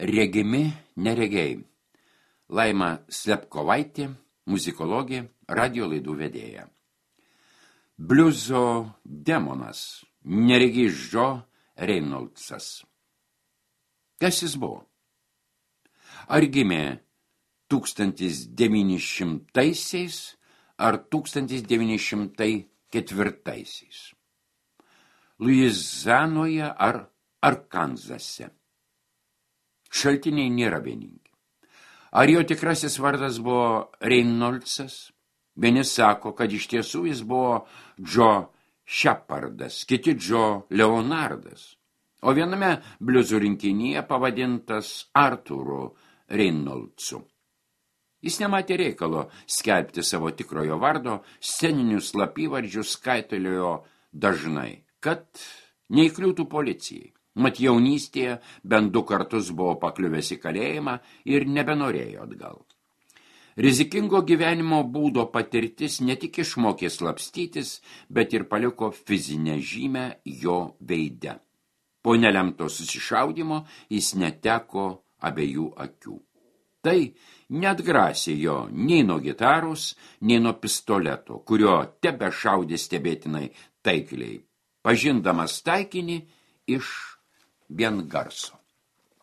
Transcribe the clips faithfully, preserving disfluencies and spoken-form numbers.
Regimi neregiai. Laima Slepkovaitė, muzikologė, radio laidų vedėja. Bliuzo demonas, neregys Džo Reynoldsas. Kas jis buvo? Ar gimė tūkstantis devyni šimtaisiais ar tūkstantis devyni šimtai ketvirtaisiais? Luizanoje ar Arkanzase? Šaltiniai nėra vieningi. Ar jo tikrasis vardas buvo Reynoldsas? Vieni sako, kad iš tiesų jis buvo Džo Shepardas, kiti Džo Leonardas, o viename bliuzų rinkinyje pavadintas Artūru Reynoldsu. Jis nematė reikalo skelbti savo tikrojo vardo, sceninius slapyvardžius skaitaliojo dažnai, kad neįkliūtų policijai. Mat jaunystėje bent du kartus buvo pakliuvęs į kalėjimą ir nebenorėjo atgal. Rizikingo gyvenimo būdo patirtis ne tik išmokė slapstytis, bet ir paliko fizinę žymę jo veide. Po nelemto susišaudymo jis neteko abiejų akių. Tai neatgrasė jo nei nuo gitaros, nei nuo pistoleto, kurio tebe šaudė stebėtinai taikliai, pažindamas taikinį iš vien garso.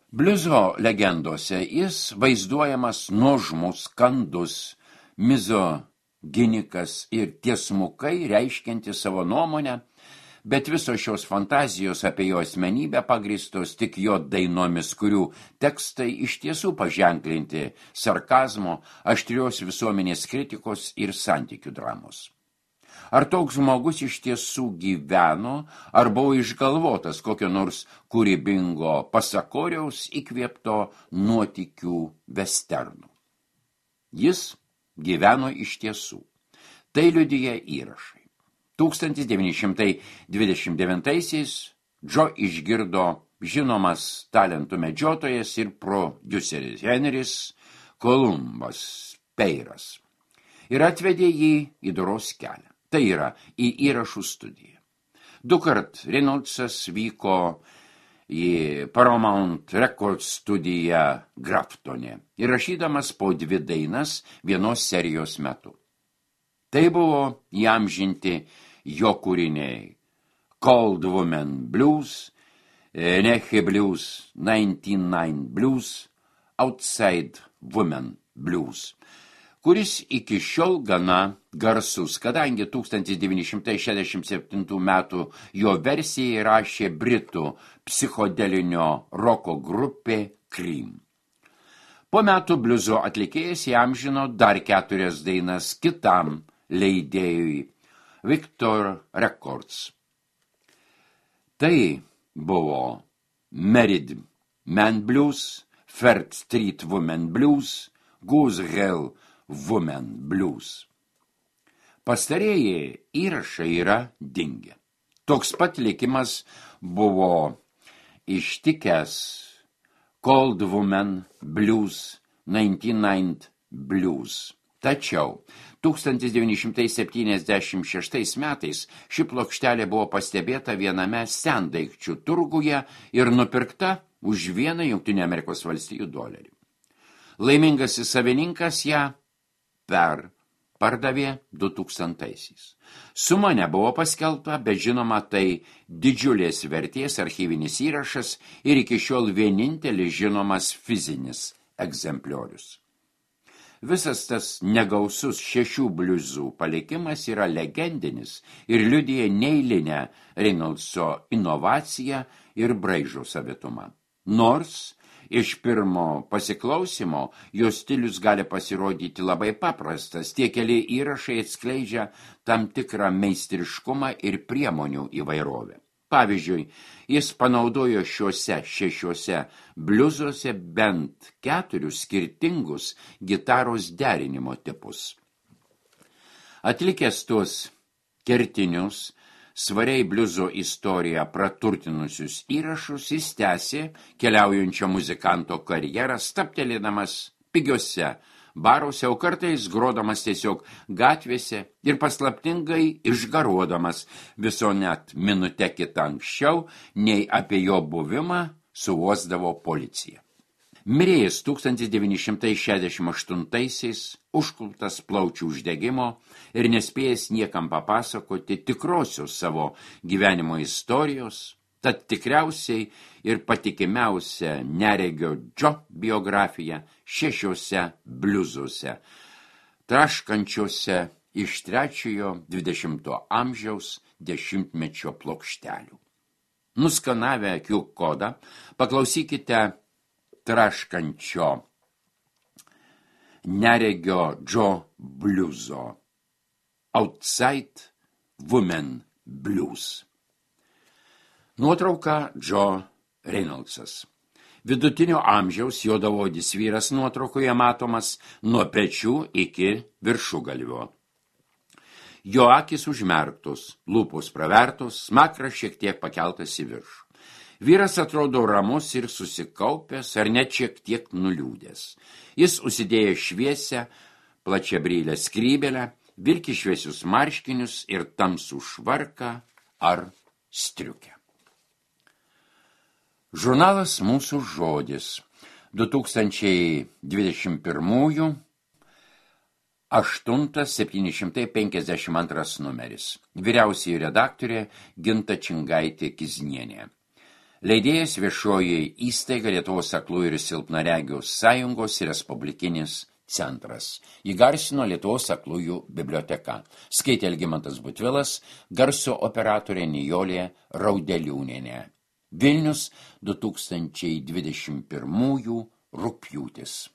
Bliuzo legendose jis vaizduojamas nuožmus, kandus, mizoginikas ir tiesmukai reiškiantis savo nuomonę, bet visos šios fantazijos apie jo asmenybę pagrįstos tik jo dainomis, kurių tekstai iš tiesų paženklinti sarkazmo, aštrios visuomenės kritikos ir santykių dramos. Ar toks žmogus iš tiesų gyveno, ar buvo išgalvotas kokio nors kūrybingo pasakoriaus įkvėpto nuotykių vesternų? Jis gyveno iš tiesų. Tai liudija įrašai. tūkstantis devyni šimtai dvidešimt devintaisiais Džo išgirdo žinomas talentų medžiotojas ir prodiuseris Henris Kolumbas Peiras ir atvedė jį į doros kelią. Tai yra į įrašų studiją. Du kart Reynoldsas vyko į Paramount Records studiją Graftone, įrašydamas po dvi dainas vienos serijos metu. Tai buvo įamžinti jo kūriniai Cold Woman Blues, Neche Blues, ninety-nine Blues, Outside Woman Blues, kuris iki šiol gana garsus, kadangi tūkstantis devyni šimtai šešiasdešimt septintų metų jo versiją įrašė britų psichodelinio roko grupė Cream. Po metų bliuzo atlikėjas įamžino dar keturias dainas kitam leidėjui Victor Records. Tai buvo Married Man Blues, Third Street Woman Blues, Goose Hill Woman Blues. Pastarieji įrašai yra dingę. Toks pat likimas buvo ištikęs Cold Woman Blues, ninety-nine Blues. Tačiau tūkstantis devyni šimtai septyniasdešimt šeštais metais ši plokštelė buvo pastebėta viename sendaikčių turguje ir nupirkta už vieną Jungtinių Amerikos valstijų dolerį. Laimingasis savininkas ją per pardavė du tūkstantaisiais. Suma nebuvo paskelbta, bet žinoma, tai didžiulės vertės archyvinis įrašas ir iki šiol vienintelis žinomas fizinis egzempliorius. Visas tas negausus šešių bliuzų palikimas yra legendinis ir liudija neeilinę Reynoldso inovaciją ir braižo savitumą. Nors iš pirmo pasiklausimo jo stilius gali pasirodyti labai paprastas, tie keli įrašai atskleidžia tam tikrą meistriškumą ir priemonių įvairovę. Pavyzdžiui, jis panaudojo šiuose šešiuose bliuzuose bent keturius skirtingus gitaros derinimo tipus. Atlikęs tuos kertinius, svariai bliuzo istoriją praturtinusius įrašus, jis tęsė keliaujančio muzikanto karjerą, stabtelėdamas pigiuose baruose, o kartais grodamas tiesiog gatvėse ir paslaptingai išgaruodamas viso net minutę kitą anksčiau, nei apie jo buvimą suuosdavo policija. Mirėjęs tūkstantis devyni šimtai šešiasdešimt aštuntaisiais, užkluptas plaučių uždegimo ir nespėjęs niekam papasakoti tikrosios savo gyvenimo istorijos, tad tikriausiai ir patikimiausia neregio Džo biografija šešiuose bliuzuose, traškančiuose iš trečiojo dvidešimto amžiaus dešimtmečio plokštelių. Nuskanavę Q kodą, paklausykite traškančio neregio Džo bliuzo Outside Women Blues. Nuotrauka Džo Reynoldsas. Vidutinio amžiaus juodaodis vyras nuotraukoje matomas nuo pečių iki viršugalvio. Jo akys užmerktos, lūpos pravertos, smakras šiek tiek pakeltas į viršų. Vyras atrodo ramus ir susikaupęs, ar net šiek tiek nuliūdęs. Jis užsidėjo šviesią, plačiabrylę skrybelę, vilki šviesius marškinius ir tamsų švarką ar striukę. Žurnalas Mūsų žodis, du tūkstančiai dvidešimt pirmųjų, aštuntas septyni šimtai penkiasdešimt antras numeris. Vyriausioji redaktorė Ginta Čingaitė Kiznienė. Leidėjas viešoji įstaiga Lietuvos aklųjų ir silpnaregių sąjungos respublikinis centras. Įgarsino Lietuvos aklųjų biblioteka. Skaitė Algimantas Butvilas, garso operatorė Nijolė Raudeliūnienė. Vilnius, du tūkstančiai dvidešimt pirmųjų rugpjūtis.